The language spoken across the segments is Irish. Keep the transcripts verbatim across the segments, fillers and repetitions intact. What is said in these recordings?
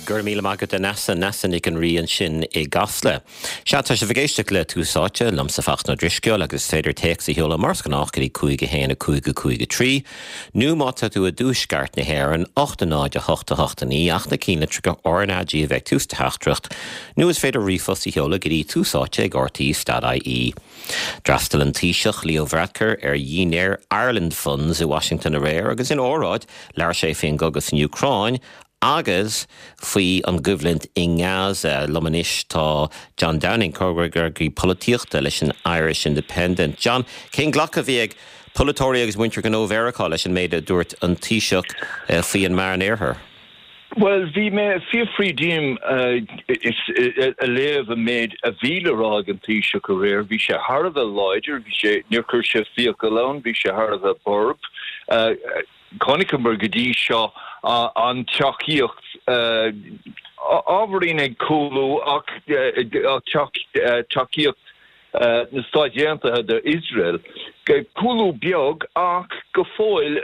Go raibh míle maith agat a Neasa Neasa Nic an Rí ansin i gCasla. Sea tá sibh ag éisteacht le Tús Áite liomsa Fachtna Ó Drisceoil agus is féidir téacs a sheoladh mar is gnách go dtí cúig a haon a cúig a cúig a trí, nó má tá tú i dtuaisceart na hÉireann ocht a náid a hocht a hocht a naoi ach na cinnlitreacha RnaG a bheith ag tús do theachtaireacht, nó is féidir ríomhphost a sheoladh go dtí tús áite ag RTÉ dot IE. D'fhreastail an Taoiseach Leo Varadkar ar dhinnéar Ireland Funds i Washington aréir agus ina óráid labhair sé faoin gcogadh san Úcráin agus faoi an gcoimhlint i nGaza liom anois tá John Downing comhfhreagraí polaitíochta leis an Irish Independent. John, cén glacadh a bhí ag polaiteoirí agus muintir gnó Mheiriceá leis an méid a dúirt an Taoiseach eh, faoi an Meánoirthear? Well, bhí mé ag fiafraí díom a léamh an méid a bhí le rá ag an Taoiseach aréir, bhí sé thar a bheith láidir, bhí sé níor chuir sé fiacail ann, bhí sé thar a bheith borb. Uh, Chonaiceamar go dtí seo an tacaíocht ábhairín ag cúlú ach tacaíocht na Stáit Aontaithe d'Iosrael. Cúlú beag ach go fóill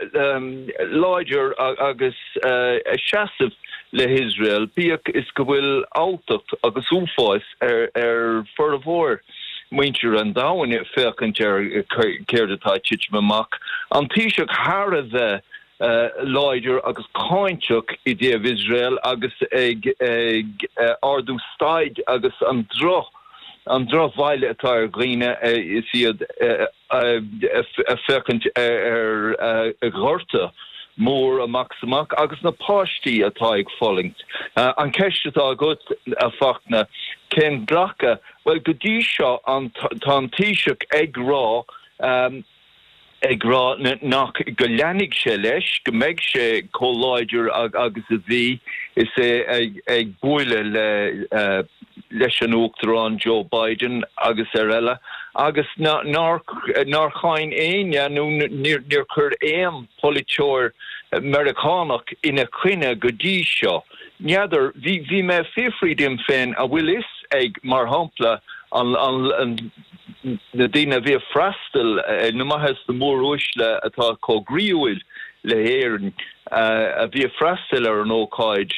láidir agus a seasamh le hIosrael, bíodh is go bhfuil alltacht agus uafás ar ar formhór muintir an domhain féachaint ar céard atá ag titim amach. An Taoiseach thar a bheith láidir agus cáinteach i dtaobh Iosrael agus ag ag ardú staid agus an droch an drochbhail atá ar dhaoine is iad ag féachaint ar ar ghorta mór amach is amach agus na páistí atá ag fulaingt. An ceist atá agat a Fachtna, cén glacadh? Bhuel go dtí seo an tá an Taoiseach ag rá ag rá nach go leanfaidh sé leis, go mbeidh sé chomh láidir agus a bhí is é ag bualadh le leis an Uachtarán Joe Biden agus ar eile agus nár nár cháin éinne nó níor chuir aon polaiteoir Meiriceánach ina choinne go dtí seo. N'fheadar, bhí bhí mé ag fiafraí díom féin an bhfuil fhios ag mar shampla an an na daoine a bhí ag freastal na maithe is na móruaisle atá chomh groíúil le hÉirinn a bhí ag freastal ar an ócáid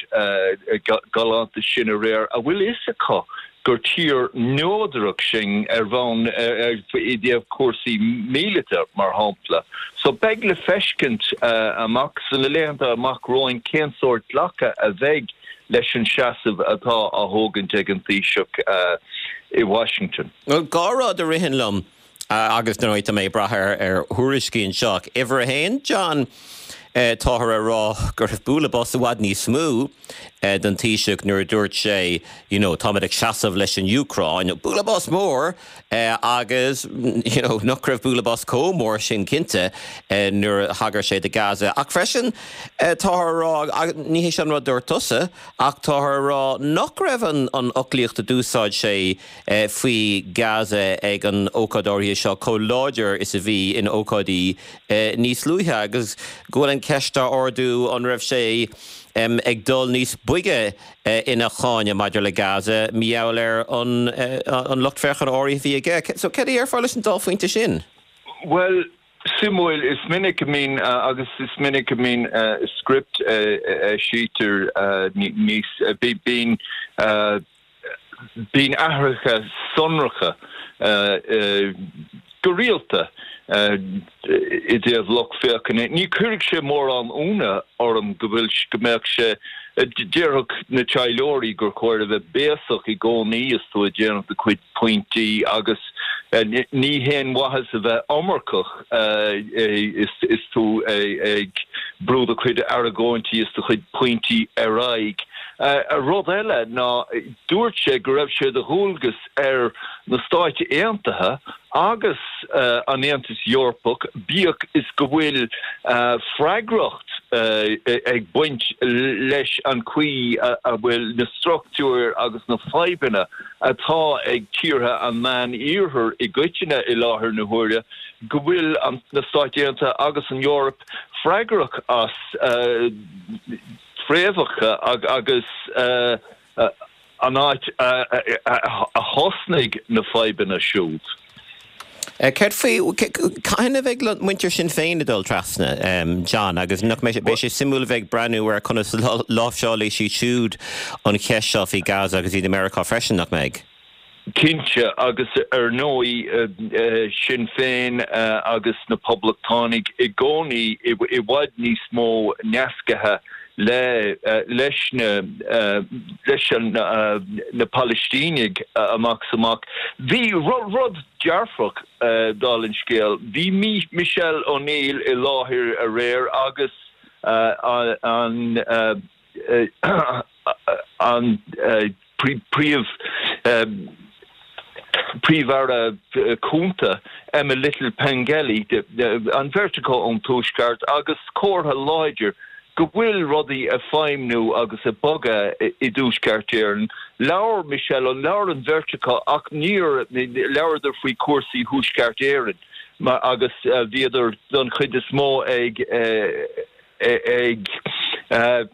galánta sin aréir, an bhfuil fhios acu gur tír neodrach sinn ar bhonn i dtaobh cúrsaí míleata mar shampla. So beidh le feiscint amach sna laethanta amach romhainn cén sórt glacadh a bheidh leis an seasamh atá á thógaint ag an Taoiseach i Washington. Bhuel, dhá rud a ritheann liom agus nuair atá mé ag brath ar ar thuairiscí anseo. Uimhir a haon, John, táthar ag rá go raibh bualadh bos i bhfad níos mó don Taoiseach nuair a dúirt sé, you know, táimid ag seasamh leis an Úcráin, bualadh bos mór agus, you know, nach raibh bualadh bos chomh mór sin cinnte nuair a thagair sé do Gaza. Ach freisin táthar ag rá, ní hé sin an rud a dúirt tusa, ach táthar ag rá nach raibh an an fhoclaíocht a d'úsáid sé faoi Gaza ag an ócáid áirithe seo chomh láidir is a bhí in ócáidí níos luaithe agus go bhfuil an ceist á ardú an raibh sé ag dul níos boige ina cháineadh maidir le Gaza mar gheall ar an an lucht féachana áirithe a bhí aige. So céard a déarfá leis an dá phointe sin? Bhuel, suimiúil, is minic a mbíonn agus is minic a mbíonn script a eisítear níos, bíonn bíonn athruithe sonracha go rialta i dtaobh lucht féachana. Ní chuirfeadh sé mórán ionadh orm go bhfuil, go mbeadh sé, déarfadh na taidhleoirí gur chóir a bheith béasach i gcónaí is tú ag déanamh do chuid pointí agus ní haon mhaitheas a bheith iomarcach is tú ag brú do chuid argóintí is do chuid pointí ar aghaidh. Rud eile ná dúirt sé go raibh sé de dhualgas ar na Stáit Aontaithe agus an Aontas Eorpach, bíodh is go bhfuil freagracht ag baint leis an chaoi a bhfuil na struchtúir agus na fadhbanna atá ag tíortha an Mheán-Iarthair i gcoitinne i láthair na huaire, go bhfuil na Stáit Aontaithe agus an Eoraip freagrach as fréamhacha agus an áit a thosnaigh na fadhbanna siúd. Céard faoi cathain a bheidh muintir Sinn Féin ag dul trasna John agus nach mbeidh sé suimiúil a bheith ag breathnú ar conas láimhseálfaidh siad siúd an cheist seo faoi Gaza agus iad i Meiriceá freisin nach mbeidh. Cinnte agus ar ndóigh Sinn Féin agus na Poblachtánaigh i gcónaí i bhfad níos mó nascaithe le leis na leis an na Palaistínigh amach is amach. Bhí rud dearfach dála an scéil. Bhí Michelle O'Neill i láthair aréir agus an an príomh Príomh-Aire Cúnta Emma Little Pengelly, an bheirt acu ón Tuaisceart agus comhartha láidir go bhfuil rudaí ag feidhmiú agus ag bogadh i dTuaisceart Éireann. Labhair Michelle, labhair an bheirt acu ach níor labhradar faoi chúrsaí Thuaisceart Éireann agus bhíodar don chuid is mó ag ag ag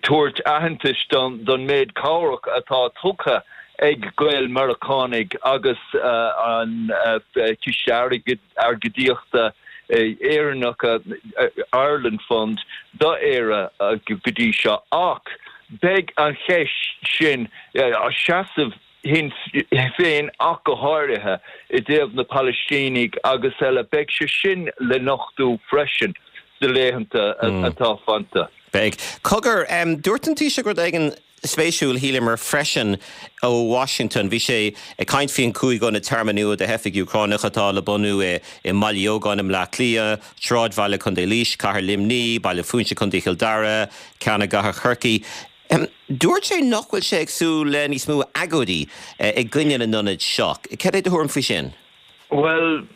tabhairt aitheantais don méid cabhrach atá tugtha ag Gael-Mheiriceánaigh agus an Ciste Airgeadaíochta Éireannach, Ireland Fund, do Éire go dtí seo. Ach beidh an cheist sin, seasamh Shinn Féin ach go háirithe, i dtaobh na Palaistínigh agus eile, beidh sé sin le nochtú freisin sna laethanta atá fanta. Beidh. Cogar, dúirt an Taoiseach rud éigin spéisiúil, shíleamar, freisin ó Washington. Bhí sé ag caint faoin cúig ionad tearmainn nua do theifigh Úcránacha atá le bunú i mBaile Eogáin i mBleá Cliath, Sráidbhaile Contae Laois, Cathair Luimní, Baile Phúinse Contae Chill Dara, ceann i gCathair Chorcaí. Dúirt sé nach bhfuil sé ag súil le níos mó agóidí i gcoinne na n-ionad seo. Cad é do thuairim faoi sin? Bhuel,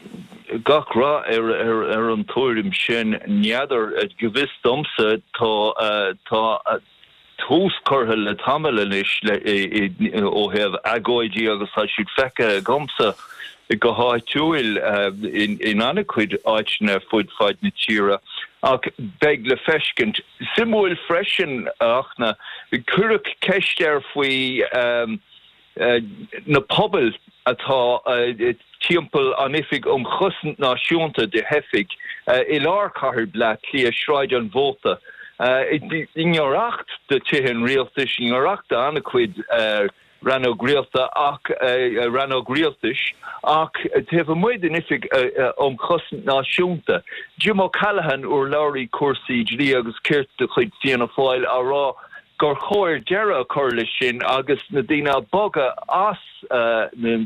gach rath ar an tuairim sin. N'fheadar, go bhfios domsa tá tá tús curtha le tamall anois ó thaobh agóidí agus tá siad feicthe agamsa go háitiúil in an-chuid áiteanna fud fad na tíre ach beidh le feiscint. Suimiúil freisin ach na cuireadh ceist air faoi na pobail atá timpeall an Oifig um Chosaint Náisiúnta do Theifigh i lár chathair Bleá Cliath, Sráid an Mhóta, i ngiorracht do Tithe an Rialtais, i ngiorracht do an-chuid rannóg rialta ach rannóg rialtais ach taobh amuigh den Oifig um Chosaint Náisiúnta. Jim O'Callaghan, urlabhraí cúrsaí dlí agus cirt de chuid Fianna Fáil, á rá gur chóir deireadh a chur leis sin agus na daoine a bogadh as na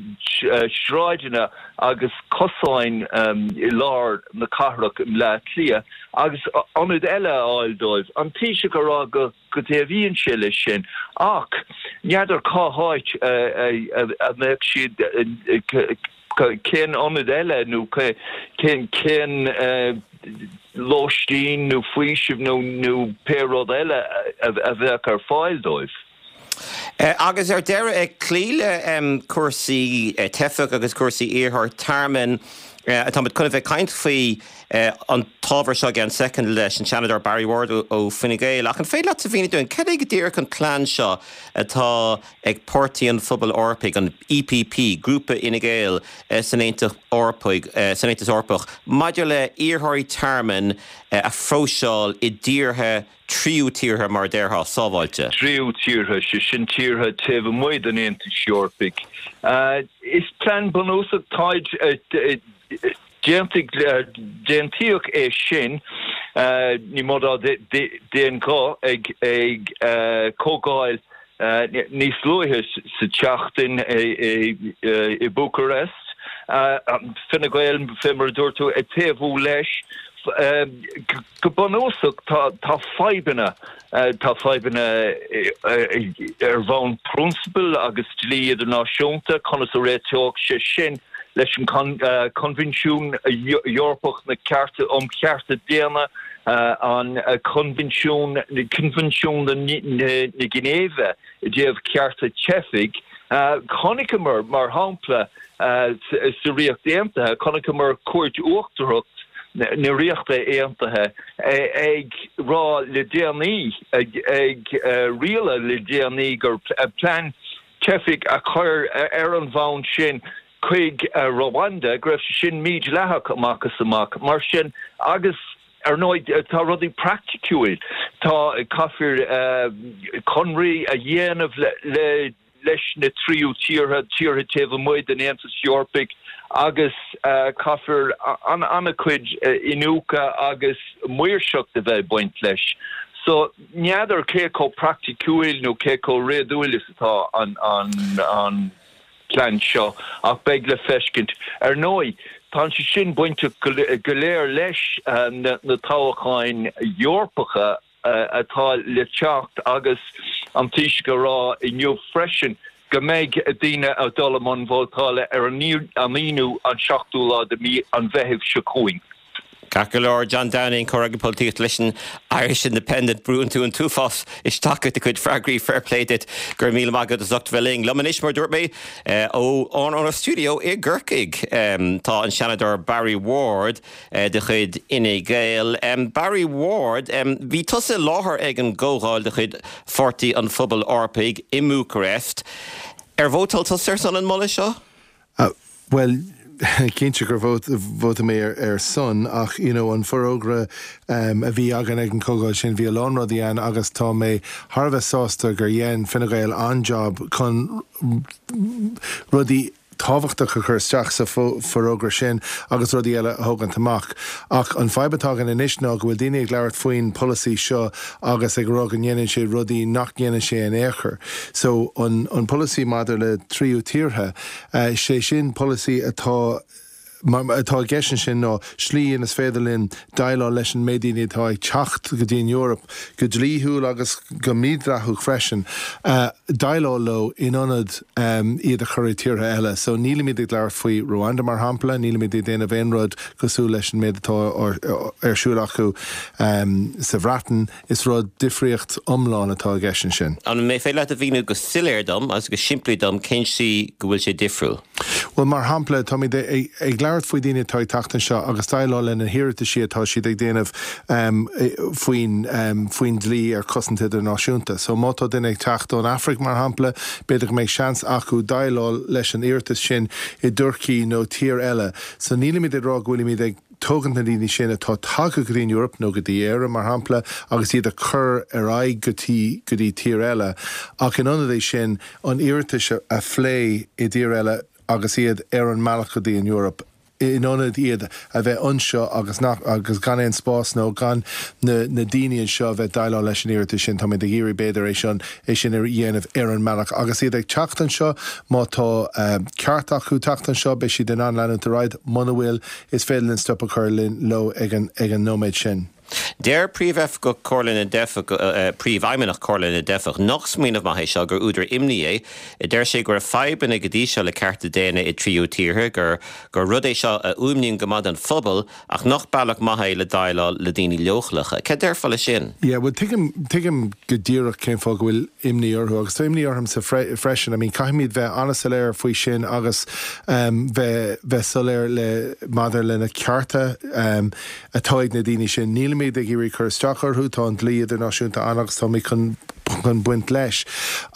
sráideanna agus cosáin i lár na cathrach i mBleá Cliath agus ionad eile a fháil dóibh. An Taoiseach a rá go dtaobhaíonn sé leis sin ach n'fheadar cá háit a mbeadh siad, cén ionad eile nó cén cén lóistín nó faoiseamh nó nó pé rud eile a bheadh ar fáil dóibh. Agus ar deireadh, ag cloí le cúrsaí teifeach agus cúrsaí iarrthóirí tearmainn, táimid chun a bheith ag caint faoi an t-ábhar seo i gceann soicind leis an Seanadóir Barry Ward ó Fine Gael, ach an féidir leat a mhíniú dúinn cad é go díreach an plean seo atá ag Páirtí an Phobail Eorpaigh, an EPP, grúpa Fhine Gael san Aontas Eorpaigh, san Aontas Eorpach, maidir le iarrthóirí tearmainn a phróiseáil i dtíortha tríú tíortha, mar a déarfá, sábháilte? Tríú tíortha, sé sin tíortha taobh amuigh den Aontas Eorpaigh. Is plean bunúsach táid déantaigh déantaíodh é sin ní mó ná d'aon ghuth ag ag comhdháil níos luaithe sa tseachtain i Bucharest. Fine Gael, fé mar a dúirt tú, ag taobhú leis. Go bunúsach tá tá fadhbanna tá fadhbanna ar bhonn prionsabail agus dlí idirnáisiúnta, conas a réiteodh sé sin leis an Coinbhinsiún Eorpach na Cearta um Chearta Daonna, an Coinbhinsiún Coinbhinsiún na Ginéive i dtaobh cearta teifigh. Chonaiceamar, mar shampla, sa Ríocht Aontaithe, chonaiceamar Cúirt Uachtarach na Ríochta Aontaithe ag rá le déanaí, ag rialadh le déanaí gur plean teifigh a chur ar an bhonn sin, chuig Rwanda go raibh sé sin mídhleathach amach is amach mar sin agus ar ndóigh tá rudaí praiticiúil tá caithfear conradh a dhéanamh le, le leis na tríú tíortha tíortha taobh amuigh den Aontas Eorpach agus uh, caithfear an an-chuid uh, iniúchadh agus maoirseacht a bheith baint leis. So n'fheadar cé chomh praiticiúil nó cé chomh réadúil is atá an an an plean seo ach beidh le feiscint ar ndóigh. Tá sé sin bainteach go léir leis uh, na, na toghcháin Eorpacha uh, atá le teacht agus an Taoiseach ag rá inniu freisin go mbeidh daoine ag dul i mbun vótála ar an aonú an seachtú lá de mí an Mheithimh seo chugainn. Ceart go leor John Downing comhfhreagraí polaitíochta leis an Irish Independent brúnn tú an t-uafás isteach i do chuid freagraí fair play duit go raibh míle maith agat as ucht bheith linn. Liom anois mar dúirt mé ó ón studio i gCorcaigh tá an Seanadóir Barry Ward de chuid Fhine Gael. Barry Ward bhí tusa i láthair ag an gcomhdháil de chuid Pháirtí an Phobail Eorpaigh i mBucarest. Ar vótáil tusa ar son an moladh seo? Uh, well, cinnte gur vótáil mé ar, ar son ach you know, an forógra um, a bhí againn ag an gcomhdháil sin bhí a lán rudaí ann agus tá mé thar a bheith sásta gur dhein Fine Gael an-job chun rudaí tábhachtach a chur isteach sa forógra sin agus rudaí eile a thógaint amach. Ach an fadhb atá againn anois ná go bhfuil daoine ag labhairt faoin polasaí seo agus ag rá go ndéanann sé rudaí nach ndéanann sé in aon chor. So an, an polasaí maidir le tríú tíortha, uh, sé sin polasaí atá atá i gceist ansin ná slí inar féidir linn déileáil leis an méid daoine atá ag teacht go dtí an Eoraip go dlíthiúil agus go mídhleathach freisin uh, déileáil leo in ionad um, iad a chur i tíortha eile. So nílimid ag labhairt faoi Rwanda mar shampla, nílimid ag déanamh aon rud cosúil leis an méid atá ar siúl acu um, sa Bhreatain is rud difríocht iomlán atá i gceist ansin. An féidir leat a mhíniú go soiléir dom agus go simplí dom cén chaoi go bhfuil sé difriúil. Well mar shampla táimid ag labhairt faoi daoine atá ag teacht anseo agus déileáil lena n-iarrataisí atá siad ag déanamh um, faoin um, faoin dlí ar cosaint idirnáisiúnta. So má tá duine ag teacht ón Afraic mar shampla, b'fhéidir go mbeidh seans acu déileáil leis an iarratas sin i dTurcaí nó tír eile. So nílimid ag rá go bhfuilimid ag tógaint na daoine sin atá tagtha go dtí an Eoraip nó go dtí Éire mar shampla agus iad a chur ar aghaidh go dtí go dtí tír eile. Ach in ionad é sin an iarratas a phlé i dtír eile agus iad ar an mbealach go dtí an Eoraip in ionad iad a bheith anseo agus nach agus gan aon spás nó gan na, na daoine anseo a bheith déileáil leis an iarratas sin táimid ag iarraidh b'fhéidir é sin é sin a dhéanamh ar an mbealach agus iad ag teacht anseo má tá uh, ceart acu teacht anseo beidh siad in ann leanúint ar aghaidh muna bhfuil is féidir linn stop a chur linn leo ag an ag an nóiméad sin. Deir príomhoifigeach Chomhairle na dTeifeach uh, príomhfheidhmeannach Chomhairle na dTeifeach nach smaoineamh maith é seo gur údar imní é, deir sé go raibh fadhbanna go dtí seo le cearta daonna i dtríú tíortha gur gur rud é seo a fhuaimníonn go maith an phobal ach nach bealach maith é le déileáil le daoine leochaileacha. Cad déarfá leis sin? Yeah, well tuigim tuigim go díreach cén fáth go bhfuil imní orthu agus tá imní ormsa fre freisin. I mean caithfimid bheith an-soiléir faoi sin agus um, bheith bheith soiléir le maidir lena cearta um, atá ag na daoine sin. Nílimid ag iarraidh cur isteach orthu tá an dlí idirnáisiúnta ann agus tá mé chun chun baint leis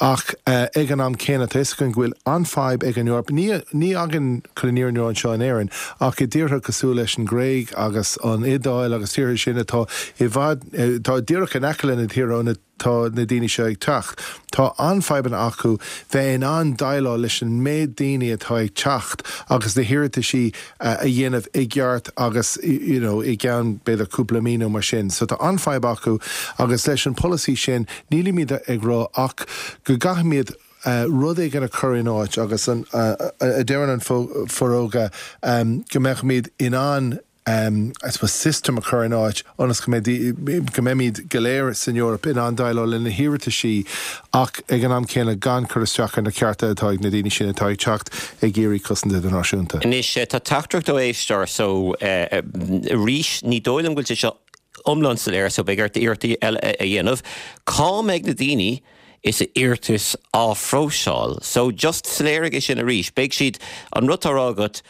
ach uh, ag an am céanna tá go bhfuil an-fhadhb ag an Eoraip ní ní againn chun ní anseo in Éirinn ach i dtíortha cosúil leis an nGréig agus an Iodáil agus tíortha sin atá i bhfad eh, tá díreach in aice na tíortha tá na daoine seo ag teacht. Tá an-fhadhbanna acu bheith in ann déileáil leis an méid daoine atá ag teacht agus na hiarrataisí uh, a dhéanamh i gceart agus you know, i gceann b'fhéidir cúpla mí nó mar sin. So tá an-fhadhb acu agus leis an polasaí sin nílimid ag rá ach go gcaithfimid Uh, rud éigin a chur in áit agus an uh, a deireann an forógra um, go mbeimid in ann um, I suppose system a chur in áit ionas go mbeimid go léir san Eoraip in ann déileáil lena n-iarrataisí ach ag an am céanna gan cur isteach ar na cearta atá ag na daoine sin atá ag teacht ag iarraidh cosaint idirnáisiúnta. Anois tá teachtaireacht ó éisteoir so arís ní dóigh liom go bhfuil sé seo iomlán soiléir so beidh ort iarracht eile a dhéanamh. Cá mbeidh na daoine is a n-iarratais á phróiseáil. So just soiléirigh é sin arís, Beidh siad an rud atá agat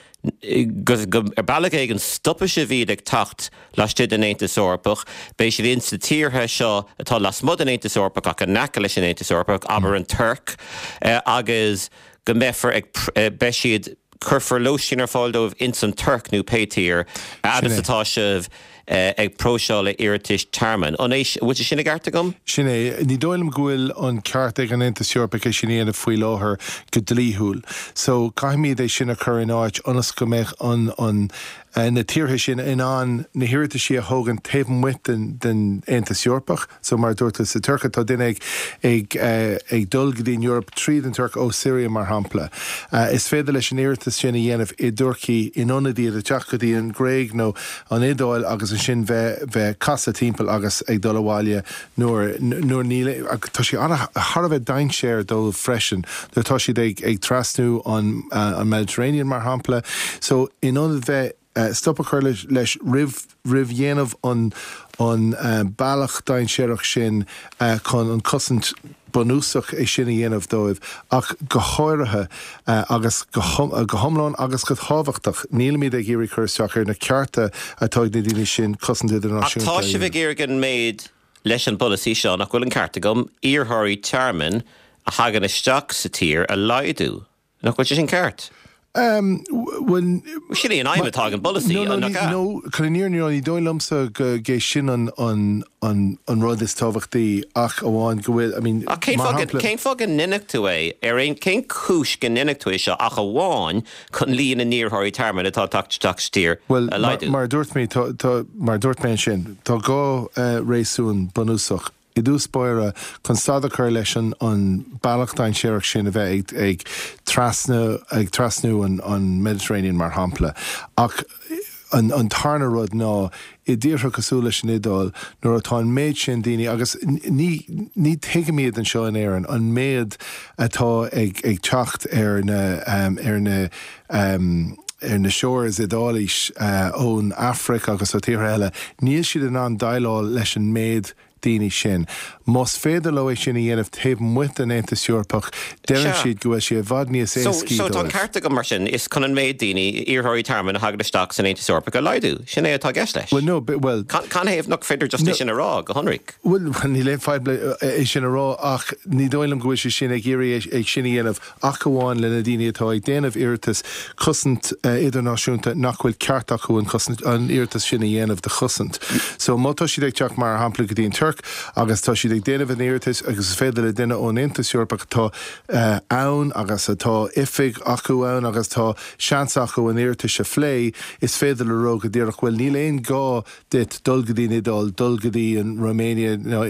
go ar bealach éigin stopfaidh sibh iad ag teacht laistigh den Aontas Eorpach, beidh siad in sa tíortha seo atá lasmuigh den Aontas Eorpach ach in aice leis an Aontas Eorpach, abair an Tuirc agus go mbeifear ag beidh siad Cuirfear lóistín ar fáil dóibh ins an Tuirc nó pé tír fhad is atá sibh ag próiseáil iarratais tearmainn. An é, bhfuil sé sin i gceart agam? Sin é. Ní dóigh liom go bhfuil an ceart ag an Aontas Eorpach é sin a dhéanamh faoi láthair go dlíthiúil. So caithfimid é sin a chur in áit ionas go mbeidh an, an, na tíortha sin in ann na hiarrataisí a thógaint taobh amuigh den, den Aontas Eorpach. So mar a dúirt tú sa Tuirc tá duine ag, ag, ag dul go dtí an Eoraip tríd an Tuirc ó Syria mar shampla. Is féidir leis an iarratas sin a dhéanamh i dTurcaí in ionad iad a teacht go dtí an Ghréig nó an Iodáil agus ansin bheith, bheith casadh timpeall agus ag dul abhaile nuair, nuair níl, tá sé thar a bheith dainséar dóibh freisin nuair atá siad ag, ag trasnú an, an Mediterranean mar shampla. So in ionad bheith stop a chur leis, leis roimh, roimh dhéanamh an, an bealach dainséarach sin chun an cosaint bunúsach é sin a dhéanamh dóibh ach go háirithe agus go hiomlán agus go tábhachtach nílimid ag iarraidh cur isteach ar na cearta atá ag na daoine sin cosaint idirnáisiúnta Ach tá sibh ag iarraidh an méid leis an bpolasaí seo, nach bhfuil an ceart agam, iarrthóirí tearmainn a thagann isteach sa tír a laghdú. Nach bhfuil sé sin ceart? Bhuel, Sin é an aidhm atá ag an bpolasaí, No, no, nach ea? no, chun an fhírinne a rá, ní dóigh liomsa go gé sin an, an, an, an rud is tábhachtaí ach amháin go bhfuil, I mean, Ach cén mar fáth shampla, cén fáth go ndéanfadh tú é ar aon cén chúis go ndéanfadh tú é seo ach amháin chun líon na n-iarrthóirí tearmainn atá ag teacht isteach sa tír Well, a mar, laghdú? mar a dúirt mé, tá, tá, mar a dúirt mé ansin, tá dhá uh, réasún bunúsach. I dtús báire chun stad a chur leis an, an bealach dainséarach sin a bheith ag, ag trasnú, ag trasnú an, an Mediterranean mar shampla. Ach an, an tarna rud ná i dtíortha cosúil leis an Iodáil nuair atá an méid sin daoine agus ní, ní tuigimid anseo in Éirinn an méid atá ag, ag teacht ar na, um, ar na um, ar na shores Iodáilis uh, ón Afraic agus ó tíortha eile, níl siad in ann déileáil leis an méid daoine sin. Más féidir leo é sin a dhéanamh taobh amuigh den Aontas Eorpach, deireann Sea. siad go bhfuil sé i bhfad níos So, éascaí so tá an dóibh. ceart agam mar sin is chun an méid daoine iarrthóirí tearmainn a thagann isteach san Aontas Eorpach a laghdú. Sin é atá i gceist leis. Well, no, but, well, Can canathaobh nach féidir just No. é sin a rá go hionraic. Well, níl aon fadhb le é sin a rá ach ní dóigh liom go bhfuil sé sin ag iarraidh é sin a dhéanamh ach amháin le na daoine atá ag déanamh iarratas cosaint uh, idirnáisiúnta nach bhfuil ceart acu an cosaint an iarratas sin a dhéanamh de chosaint. So má tá siad ag teacht mar shampla go dtí an Tuirc agus tá siad ag déanamh an iarratas agus is féidir le duine ón Aontas Eorpach atá uh, ann agus atá oifig acu ann agus tá seans acu an iarratas a phlé, is féidir le rá go díreach bhfuil níl aon gá duit dul go dtí an Iodáil, dul go dtí an Romania nó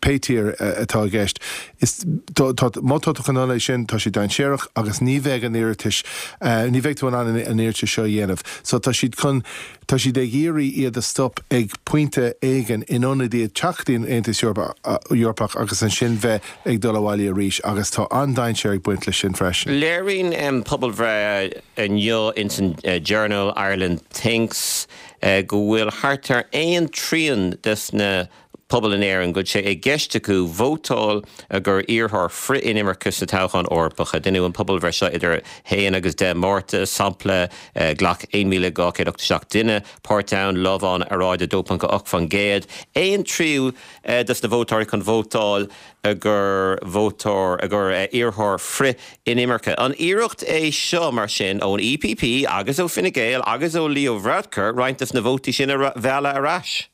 pé tír atá i gceist. Is tá- tá- má tá tú chun é sin tá sé dainséarach agus ní bheidh an iarratas uh, ní bheidh tú in ann an an iarratas seo a dhéanamh. So tá siad chun tá siad ag iarraidh iad a stop ag pointe éigin in ionad iad teacht an Aontas Eorpach agus ansin bheith ag dul abhaile arís agus tá an-dainséar ag baint leis sin freisin. Léiríonn um, pobalbhreith inniu ins an uh, Journal Ireland Thinks uh, go bhfuil thart ar aon trian des na pobal in Éirinn go bhfuil sé i gceist acu vótáil gur iarrthóir frith-inimirce sa toghchán Eorpach a deineadh an pobalbhreith seo idir haon agus deich Márta sampla uh, ghlac aon míle dhá chéad ochtó seacht duine páirt ann lamhán earráide dó ponc ocht faoin gcéad. Aon tríú uh, des na vótóirí chun vótáil gur vótóir a gur uh, iarrthóir frith-inimirce. An iarracht é seo mar sin ón E P P agus ó Fine Gael agus ó Leo Varadkar roinnt des na vótaí sin a mhealladh ar ais.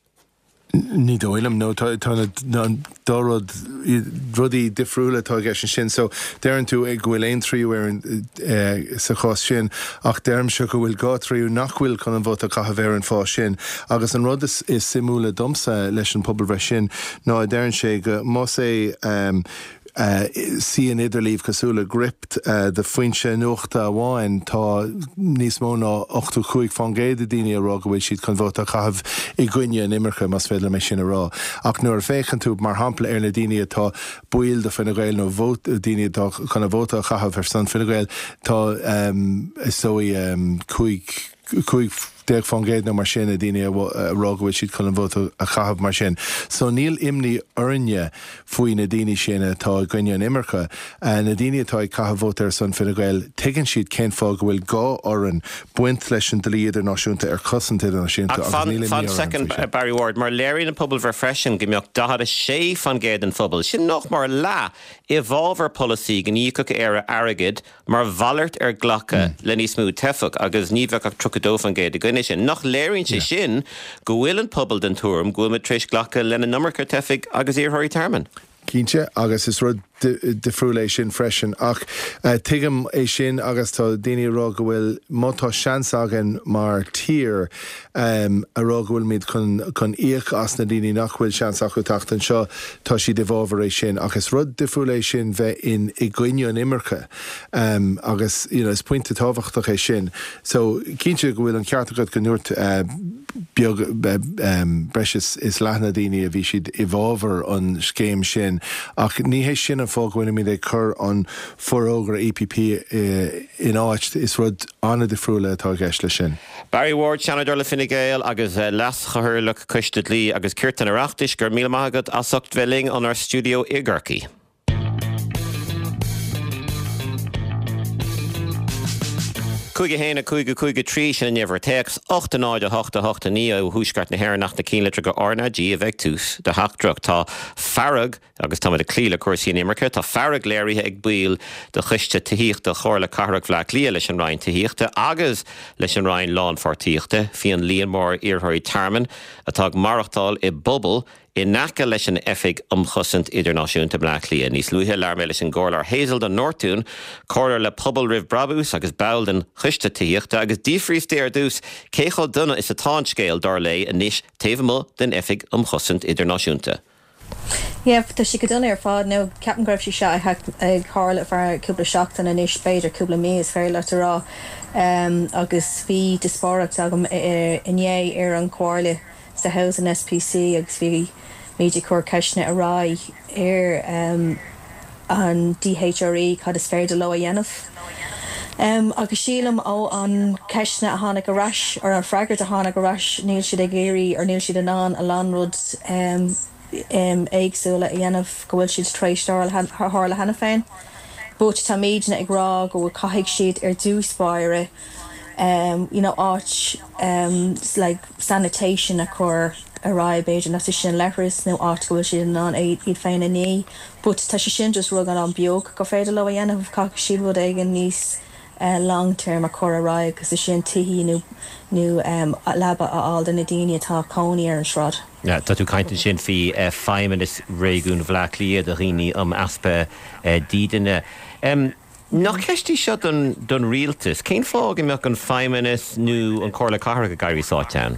Ní dóigh liom nó tá dá rud rudaí difriúla atá i gceist sin, so deireann tú ag go bhfuil aon tríú ar an eh, sa chás sin ach deirimse go bhfuil dhá tríú nach bhfuil chun an vóta a chaitheamh ar an fáth sin. Agus an rud is, is suimiúla domsa leis an pobalbhreith sin ná deireann sé go más é um, uh, sí an idirlíon cosúil le Gript uh, de foinse nuachta amháin tá níos mó ná ochtó cúig faoin gcéad de daoine a rá go bhfuil siad chun vóta a chaitheamh i gcoinne an imirce más féidir liom é sin a rá. Ach nuair a féachann tú mar shampla ar na daoine atá baill de Fine Gael nó vót daoine atá chun a vóta a chaitheamh ar son Fine Gael tá um, is dóigh um, cúig cúig déag faoin gcéad nó mar sin na daoine a rá go bhfuil siad chun an vóta a chaitheamh mar sin. So níl imní orainne faoi na daoine sin atá i gcoinne an imirce. Na daoine atá ag caitheamh vóta ar son Fine Gael, tuigeann siad cén fáth go bhfuil gá orainn baint leis an dlí idirnáisiúnta ar chosaint idirnáisiúnta. Ach fan, fan second, Barry Ward, mar léiríonn an pobalbhreith freisin go mbeadh daichead a sé faoin gcéad den phobal, sin nach mór leath, i bhfabhar polasaí go n-íocfadh Éire airgead mar mhalairt ar ghlacadh le níos mó teifeach agus ní bheadh ach tríocha dó faoin gcéad i gcoinne sin. Nach léiríonn sé sin go bhfuil an pobal den tuairim go bhfuil muid tar éis glacadh lena n-iomarca teifigh agus iarrthóirí tearmainn? Cinnte, agus is rud difriúil é sin freisin. Ach tuigim é sin agus tá daoine ag rá go bhfuil, má tá seans againn mar tír a rá go bhfuilimid chun chun íoc as na daoine nach bhfuil seans acu teacht anseo, tá siad i bhfabhar é sin. Ach is rud difriúil é sin bheith in i gcoinne an imirce agus you know is pointe tábhachtach é sin. So cinnte go bhfuil an ceart agat go ndúirt beag breis is is leath na daoine a bhí siad i bhfabhar an scéim sin ach ní hé sin an fáth go bhfuilimid ag cur an forógra E P P in áit. Is rud an-difriúil atá i gceist leis sin. Barry Ward, Seanadóir le Fine Gael agus Leas-Chathaoirleach Coiste Dlí agus Cirt an Oireachtais, go raibh míle maith agat as ucht bheith linn ónár stiúideo i gCorcaigh. Cúig a haon a cúig a cúig a trí sin an uimhir téacs, ocht a náid a hocht a hocht a naoi ó thuaisceart na hÉireann ach na cinnlitreacha R N A G a bheidh tús do theachtaireacht. Tá fearg, agus táimid ag cloí le cúrsaí inimirce, tá fearg léirithe ag baill de Choiste Tithíochta Chomhairle Cathrach Bhaile Átha Cliath leis an Roinn Tithíochta agus leis an Roinn Lánpháirtíochta faoi an líon mór iarrthóirí tearmainn atá ag maireachtáil i bpubaill in aice leis an Oifig um Chosaint Idirnáisiúnta i mBleá Cliath. Níos luaithe, labhair mé leis an gComhairleoir Hazel de Nortúin, comhairleoir le Pobal Roimh Brabús agus ball den Choiste Tithíochta, agus d'fhiafraíos di ar dtús cé chomh dona is atá an scéal, dar léi, anois taobh amuigh den Oifig um Chosaint Idirnáisiúnta. Yeah, tá sé go dona ar fad nó ceapaim go raibh sé seo ag tarlú feadh cúpla seachtain anois, b'fhéidir cúpla mí is féidir leat a rá, agus bhí díospóireacht agam inné ar an chomhairle sa Housing S P C agus bhí muid ag cur ceisteanna ar aghaidh ar an D H R E cad is féidir leo a dhéanamh. Um, agus sílim ó an ceisteanna a tháinig ar ais ar an freagairt a tháinig ar ais níl siad ag iarraidh ar níl siad in ann a lán rud um, um, éagsúla a dhéanamh go bhfuil siad tar éis tarlú cheana féin. But táimidne ag rá go bhfuil caithfidh siad ar dtús báire um, you know, áit um, like sanitation a chur ar aghaidh b'fhéidir na sin leithreas nó áit go bhfuil siad in ann iad féin a ní. But tá sé sin just rud an-bheag go féidir leo a dhéanamh caithfidh siad rud éigin níos uh, long term a chur ar aghaidh agus is sin tithe nó nó um, leaba a fháil do na daoine atá cónaí ar an sráid. Ja, tá tú caint sin faoi uh, Feidhmeannas Réigiún Bhaile Átha Cliath do dhaoine um easpa uh, dídine. Um, Nach ceist í seo don, don rialtas, cén fáth go mbeadh an Feidhmeannas nó an Comhairle Cathrach ag éirí sáite ann?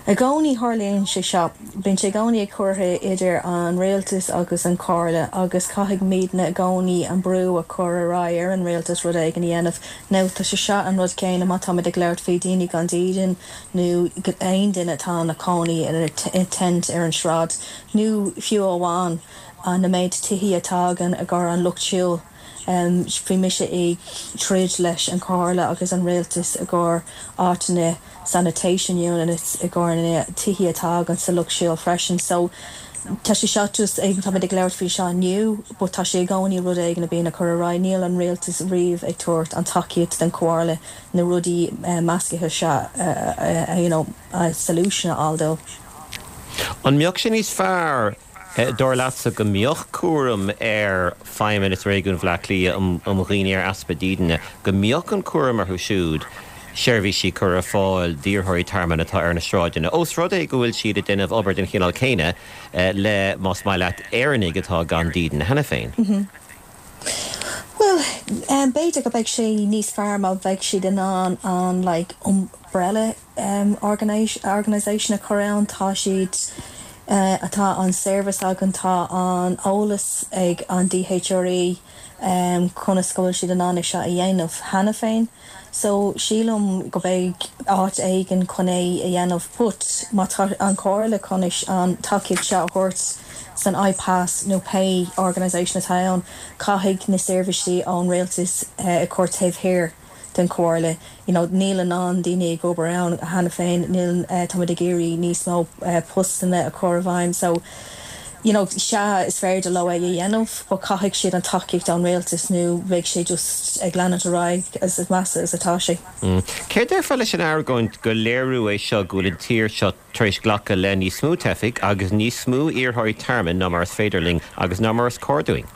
I gcónaí tharlaíonn sé seo, bíonn sé i gcónaí ag curtha idir an rialtas agus an comhairle agus caithfidh muidne i gcónaí an brú a chur ar aghaidh ar an rialtas rud éigin a dhéanamh. Nó tá sé seo an rud céanna má táimid ag labhairt faoi daoine gan dídean nó aon duine atá ina cónaí i tent ar an sráid nó fiú amháin an na méid tithe atá againn i gcomhair an lucht siúil. Um, bhí mise ag troid leis an comhairle agus an rialtas i gcomhair áiteanna sanitation units i gcomhair na tithe atá againn sa lucht siúil freisin. So tá sé seo just ag tá ag labhairt faoi seo inniu, but tá sé i gcónaí rud éigin a bhíonn ag cur ar aghaidh níl an rialtas riamh ag tabhairt an tacaíocht den comhairle na rudaí uh, measctha seo uh, uh, you know, uh, solution a fháil dó. An mbeadh sé níos fearr dar leatsa go mbeadh cúram ar Feidhmeannas Réigiún Bhaile Átha Cliath um dhaoine ar easpa dídine, go mbeadh an cúram orthu siúd seirbhísí cur ar fáil d'iarrthóirí tearmainn atá ar na sráideanna. Ós rud é go bhfuil siad ag déanamh obair den chineál céanna le más maith leat Éireannaigh atá gan dídean cheana féin. Mm -hmm. Well, um, b'fhéidir go beidh sé níos fearr má bheidh siad in ann an like, umbrella um, organisation a chur ann tá siad uh, atá an service againn tá an eolas ag an D H R E um, conas go bhfuil siad in ann seo a dhéanamh cheana féin. So sílim go mbeidh áit éigin chun é a dhéanamh but má tá an comhairle chun an tacaíocht seo a thabhairt san I P A S nó pé organisation atá ann caithfidh na seirbhísí ón rialtas uh, a chur taobh thiar den chomhairle. You know, níl a lán daoine ag obair ann cheana féin níl uh, táimid ag iarraidh níos mó uh, postanna a chur i bhfeidhm so you know, sea is féidir leo é a dhéanamh, but caithfidh siad an tacaíocht ón rialtas nó beidh sé just ag leanúint ar aghaidh as is measa is atá sé. Mm. Céard a déarfá leis an argóint gur léiriú é seo go bhfuil an tír seo tar éis glacadh le níos mó teifigh agus níos mó iarrthóirí tearmainn ná mar is féidir linn agus ná mar is cóir dúinn.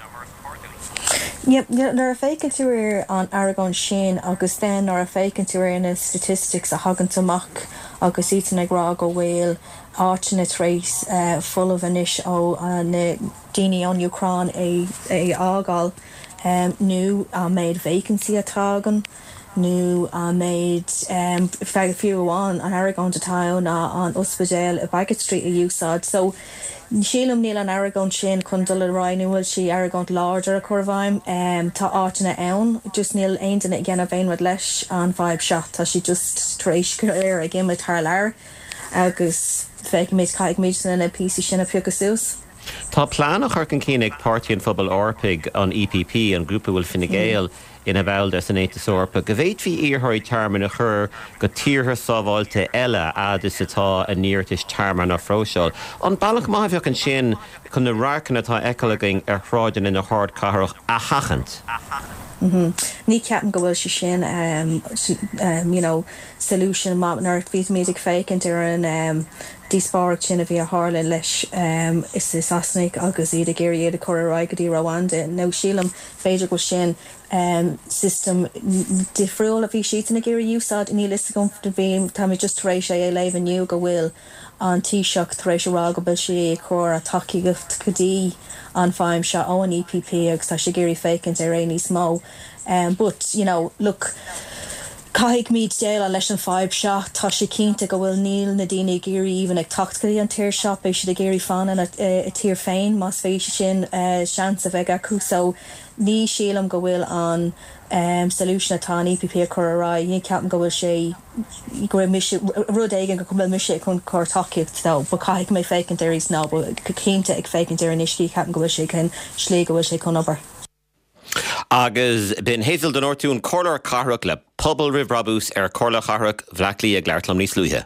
Yep, nuair a fhéachann tú ar an argóint sin agus then nuair a fhéachann tú ar na statistics a thagann amach agus iad ag rá go bhfuil áiteanna tar éis uh, folamh anois ó uh, na daoine ón Úcráin é é fhágáil um, nó an méid vacancy atá againn nó an méid um, fiú amháin an argóint atá ná an ospidéal i Baggot Street a úsáid. So sílim níl an argóint sin chun dul ar aghaidh nó bhfuil sí argóint láidir a chur i bhfeidhm um, tá áiteanna ann, just níl aon duine ag déanamh aon rud leis an bhfadhb seo tá sí just tar éis go léir ag imeacht thar lear agus feicimid caithfimid na píosaí sin a phiocadh suas. Tá plean á chur chun cinn ag Páirtí an Phobail Eorpaigh an EPP an grúpa bhfuil Fine Gael ina bhall de san Aontas Eorpach, go bhféadfaí iarrthóirí tearmainn a chur go tíortha sábháilte eile fhad is atá a n-iarratais tearmainn á phróiseáil. An bealach maith a bheadh ansin chun na radharcanna atá á bhfeiceáil againn ar shráideanna na hardchathrach a sheachaint. Mm -hmm. Ní ceapaim go bhfuil sé sin um, um, you know, solution má nuair bhí muid ag féachaint ar an um, díospóireacht sin a bhí a tharla leis um, is is Sasanaigh agus iad ag iarraidh iad a chur ar aghaidh go dtí Rwanda. Nó sílim b'fhéidir go sin um, system difriúil a bhí siad ag iarraidh úsáid níl a fhios agam bhí tá mé just tar éis é a léamh inniu go bhfuil an Taoiseach tar éis a rá go bhfuil sé ag cur a tacaíocht go dtí an fheidhm seo ó an EPP agus tá sé ag iarraidh féachaint ar é níos mó. Um, but you know, look, Caithfimid déileáil leis an fhadhb seo tá sé cinnte go bhfuil níl na daoine ag iarraidh even ag teacht go dtí an tír seo beidh siad ag iarraidh fanacht ina tír féin más féidir sin uh, seans a bheith acu so ní sílim go bhfuil an um, solution atá an EPP a chur ar aghaidh ní ceapaim go bhfuil sé go mise rud éigin go bhfuil mise chun cur tacaíocht dó, ba caithfidh mé féachaint ar ná go cinnte ag féachaint ar an uiscí ceapaim go bhfuil sé chun slí go bhfuil sé chun obair. Agus b'in Hazel de Nortún Comhairleoir Cathrach le Pobal Roimh Brabús ar Chomhairle Chathrach Bhaile Átha Cliath ag labhairt liom níos luaithe.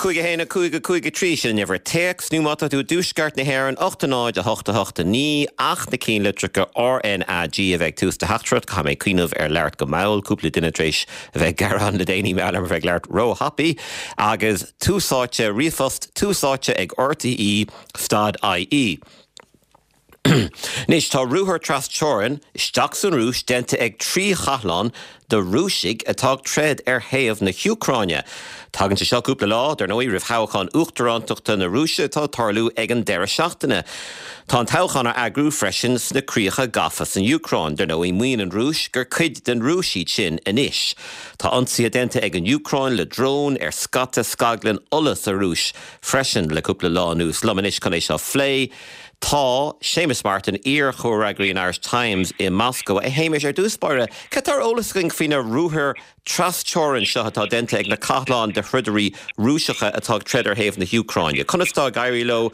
Cúig a haon a cúig a cúig a trí sin an uimhir téacs nó má tá tú i dtuaisceart na hÉireann ocht a náid a hocht a hocht a naoi ach na ceannlitreacha RNAG a bheith ag tús do theachtaireacht caithfidh mé cuimhneamh ar labhairt go mall cúpla duine tar éis a bheith ag gearán le déanaí mar gheall ar bheith ag labhairt róthapaidh agus tús áite ríomhphost tús áite ag RTÉ stad IE. Anois tá ruathar trasteorann isteach san Rúis déanta ag trí chathlán de Rúisigh atá ag troid ar thaobh na hÚcráine. Tagann sé seo cúpla lá, dar ndóigh, roimh thoghchán uachtarántachta na Rúise atá ag tarlú ag an deireadh seachtaine. Tá an toghchán á eagrú freisin sna críocha gafa san Úcráin. Dar ndóigh, maíonn an Rúis gur cuid den Rúis iad sin anois. Tá ionsaithe déanta ag an Úcráin le dróin ar scata scaglann ola sa Rúis freisin le cúpla lá anuas. Liom anois chun é seo a phlé tá Séamus Martin, iar-chomhfhreagraí an Irish Times i Moscow. A Shéamais, ar dtús báire, cad tá ar eolas againn faoi na ruathair trasteorann seo atá déanta ag na cathláin de throidirí Rúiseacha atá ag troid ar thaobh na hÚcráine? Conas atá ag éirí leo,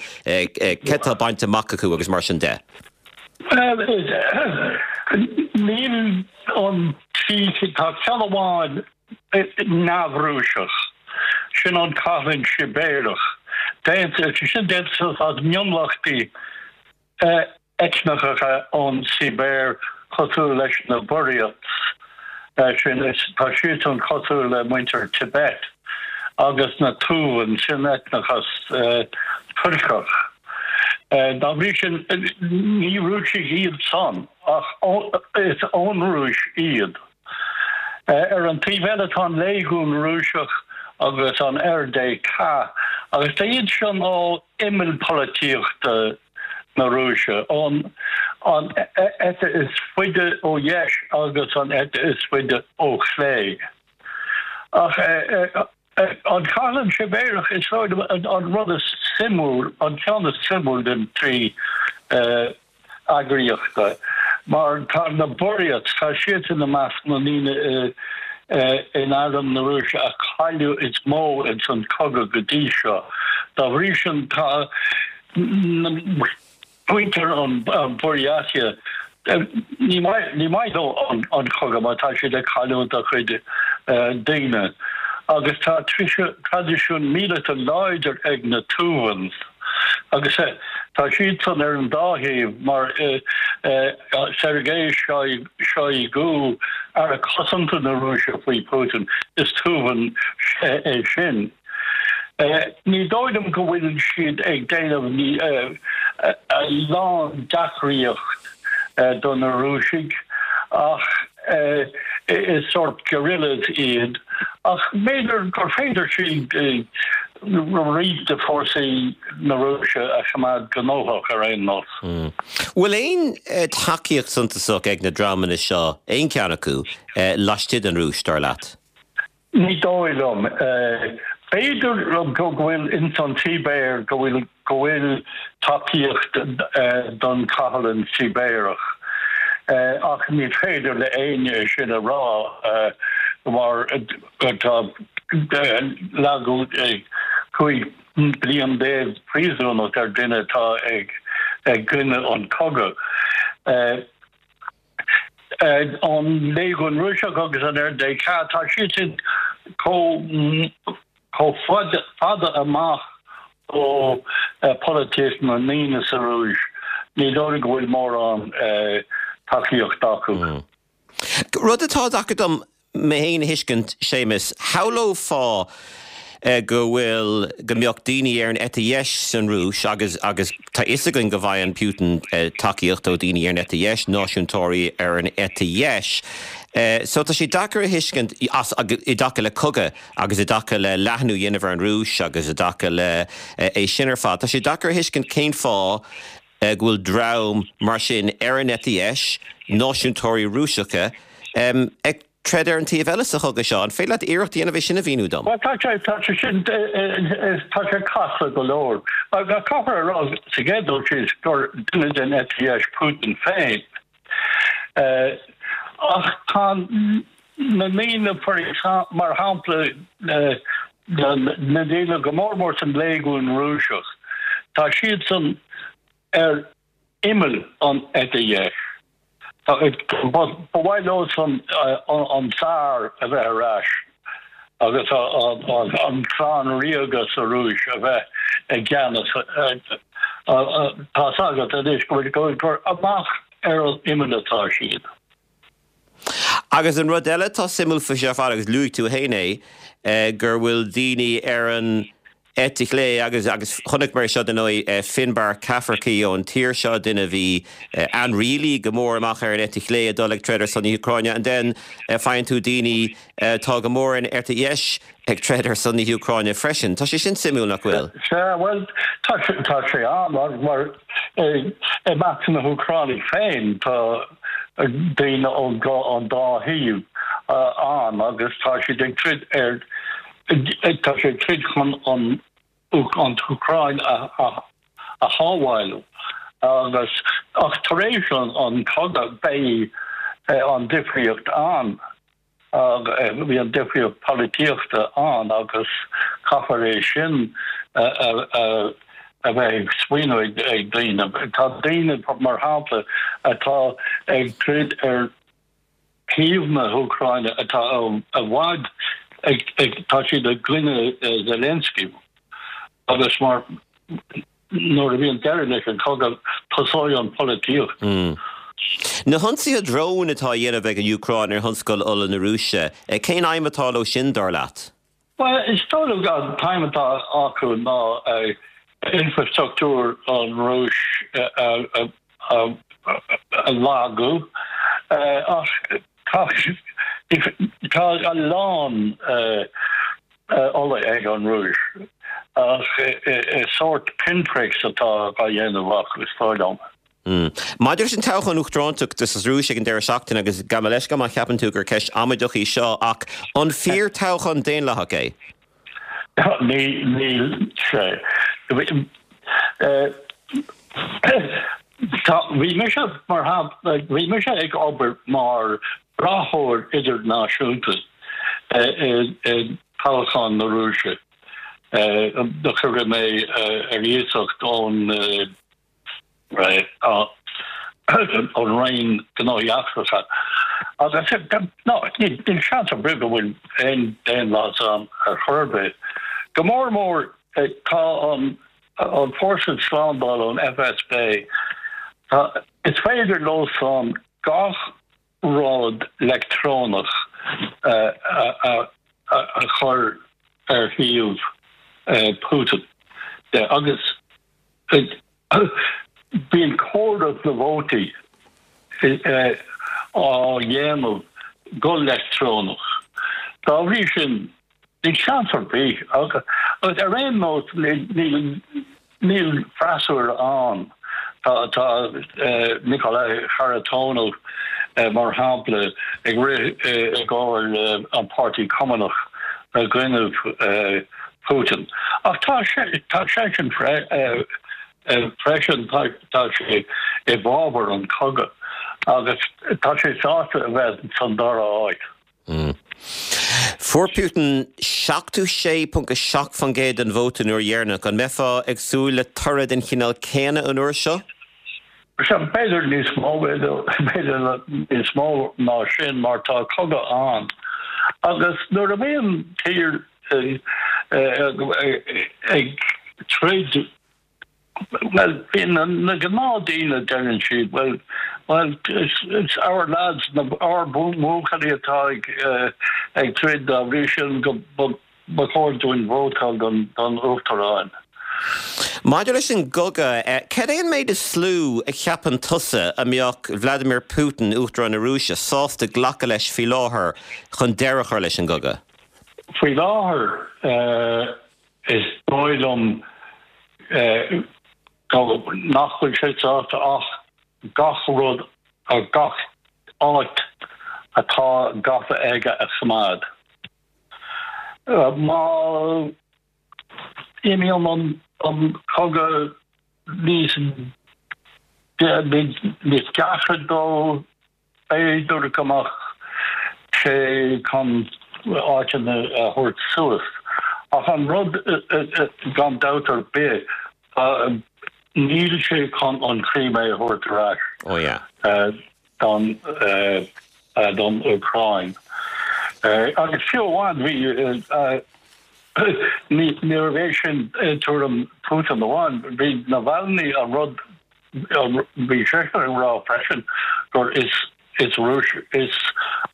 cad tá bainte amach acu agus mar sin de? Níl an trí, tá ceann amháin neamh-Rúiseach, sin an Cathlán Sibéarach. Déanta, sin déanta as mionlachtaí eitneacha ón Sibéir cosúil leis na Buryats, sin tá siadsan cosúil le muintir Tibet agus na Tuvan, sin eitneachas Tuirceach. Dá bhrí sin, ní Rúisigh iad san, ach is ón Rúis iad. Ar an taobh eile tá an Léigiún Rúiseach agus an RDK, agus tá iad sin ó imeall polaitíochta na Rúise, ón an eite is faide ó dheis agus an eite is faide ó chlé. Ach an Cathlán Sibéarach, is dóigh liom, an rud is suimiúil, an ceann is suimiúil den trí eagraíochta, mar tá na Buryats, tá siad ina measc na ndaoine in arm na Rúise a cailleadh is mó ins an cogadh go dtí seo. Dá bhrí sin tá na Muintir an Buryatia, ní maith leo an cogadh mar tá siad ag cailliúint a gcuid daoine. Agus tá traidisiún míleata láidir ag na Tuvans. Agus tá siadsan ar an dá thaobh mar Sergei Shoigu, Aire Cosanta na Rúise faoi Putin, is Tuvan é sin. Ní dóigh liom go bhfuil siad ag déanamh a lán deacraíocht do na Rúisigh ach is sórt guerrillas iad ach b'fhéidir gur féidir siad roinnt de fórsaí na Rúise a choimeád gnóthach ar aon nós. Bhfuil aon tacaíocht suntasach ag na dreamanna seo, aon cheann acu, laistigh den Rúis, dar leat? Ní dóigh liom. B'fhéidir go bhfuil ins an tSibéir go bhfuil go bhfuil tacaíocht don chathalan Sibéarach ach ní féidir le éinne é sin a rá mar tá leagadh cúig bliain déag príosúnacht ar duine atá ag i gcoinne an cogadh. An Léigiún Rúiseach agus an RDK, tá siad sin chomh fada amach ó pholaitíocht na ndaoine sa Rúis, ní dóigh go bhfuil mórán tacaíocht acu. Rud atá deacair dom mé féin a thuiscint, Séamus, shamhlófá go bhfuil, go mbeadh daoine ar an eite dheis san Rúis agus, agus tá fhios againn go bhfaigheann Putin tacaíocht ó daoine ar an eite dheis, náisiúntóirí ar an eite dheis. So tá sé deacair a thuiscint as, i dtaca le cogadh agus i dtaca le leathnú a dhéanamh ar an Rúis agus i dtaca le é sin ar fad, tá sé deacair a thuiscint cén fáth go bhfuil dream mar sin ar an eite dheis, náisiúntóirí Rúiseacha, ag troid ar an taobh eile sa chogadh seo. An féidir leat iarracht a dhéanamh é sin a mhíniú dom? Bhuel, tá sé, tá sé sin, tá sé casta go leor. Caithfear a rá sa gcéad dul síos gur duine den eite dheis Putin féin. Ach tá na daoine, mar shampla, na daoine go mór mór san Léigiún Rúiseach, tá siadsan ar imeall an eite dheis. Ba mhaith leosan an Tsar a bheith ar ais agus an clann ríoga sa Rúis a bheith i gceannas. Tá's agat anois go bhfuil gur amach ar an imeall atá siad. Agus an rud eile atá suimiúil faoi seo ar fad, agus luaigh tú féin é, gur bhfuil daoine ar an eite chlé agus agus chonaic mé seo dar ndóigh Finbar Cafferkey ón tír seo, duine a bhí ainrialaí go mór amach ar an eite chlé ag dul ag troid ar son na hÚcráine and then faigheann tú daoine atá go mór ar an eite dheis ag troid ar son na hÚcráine freisin. Tá sé sin suimiúil, nach bhfuil? Sea, bhuel, tá sé tá sé an mar mar i measc na hÚcránaigh féin tá daoine ón an dá thaobh ann agus tá siad ag troid ar Tá sé ag troid chun an an tÚcráin a a shábháil agus ach tar éis an an cogadh beidh an difríocht ann, bhí an difríocht polaitíochta ann agus caithfear é sin a a bheith ag smaoineamh ag daoine. Tá daoine mar shampla atá ag troid ar thaobh na hÚcráine atá i bhfad ag, tá siad i gcoinne Zelensky agus mar nuair a bhíonn deireadh leis an chogadh tosóidh an pholaitíocht. Na hionsaithe drón atá á dhéanamh ag an Úcráin ar thionscal ola na Rúise, cén aidhm atá leo sin, dar leat? Bhuel, is dóigh liom an t-aidhm atá acu ná infrastruchtúr an Rúis a a lagú ach tá tá a lán ola ag an Rúis ach is sórt pinpricks atá á dhéanamh acu, is dóigh liom. Maidir leis an toghchán uachtaránachta sa Rúis ag an deireadh seachtaine, agus gabh mo leithscéal má cheapann tú gur ceist amaideach í seo, ach an fíor toghchán daonlathach é? Ní, níl sé. Tá, bhí mise mar shampla, bhí mise ag obair mar brathóir idirnáisiúnta i toghchán na Rúise. Do cuireadh mé ar iasacht ón An Roinn Gnóthaí Eachtracha. Agus no, níl seans ar bith go bhfuil aon daonlathas ann ar chor ar bith. Go mór mór tá an an fórsa slándála an FSB, tá, is féidir leo san gach rud leictreonach a, a, a, a chur ar thaobh Putin. Agus bíonn comhaireamh na vótaí á dhéanamh go leictreonach. Dá bhrí sin níl seans ar bith agus ar aon nós níl níl freasúra ann. Tá tá Nikolai Kharitonov mar shampla ag rith i gcomhair an Páirtí Cumannach i gcoinnibh Putin. Ach tá sé tá seisean freisin tá sé i bhfabhar an cogadh agus tá sé sásta a bheith san dara háit. Mm. Fuair Putin seachtó sé ponc a seacht faoin gcéad den vóta an uair dheireanach. An mbeifeá ag súil le toradh den chineál céanna an uair seo? Sea, b'fhéidir níos mó, b'fhéidir níos mó ná sin mar tá cogadh ann. Agus nuair a bhíonn tír ag troid Well, bíonn na gnáthdhaoine deireann siad, well, well, it's, it's our lads, na ár mbuachaillí atá ag, uh, ag troid dá bhrí sin go ba chóir dúinn vótáil don, don uachtarán. Maidir leis an gcogadh, eh, cad é an méid is lú a cheapann tusa a mbeadh Vladimir Putin, Uachtarán na Rúise, sásta glacadh leis faoi láthair chun deireadh a chur leis an gcogadh? Faoi láthair, uh, is dóigh liom uh, nach bhfuil sé sásta ach gach rud a gach áit atá gafa aige a choimeád. Uh, má imíonn an, an cogadh níos níos deacra dó b'fhéidir go mbeadh sé chun áiteanna a thabhairt suas. Ach an rud gan dabht ar bith níl sé chun an Chrimé a thabhairt ar ais Oh yeah. don don Úcráin. Agus fiú amháin bhí ní bhé sin tuairim Putin amháin, bhí Navalny an rud bhí sé ag rá freisin gur is is Rúis is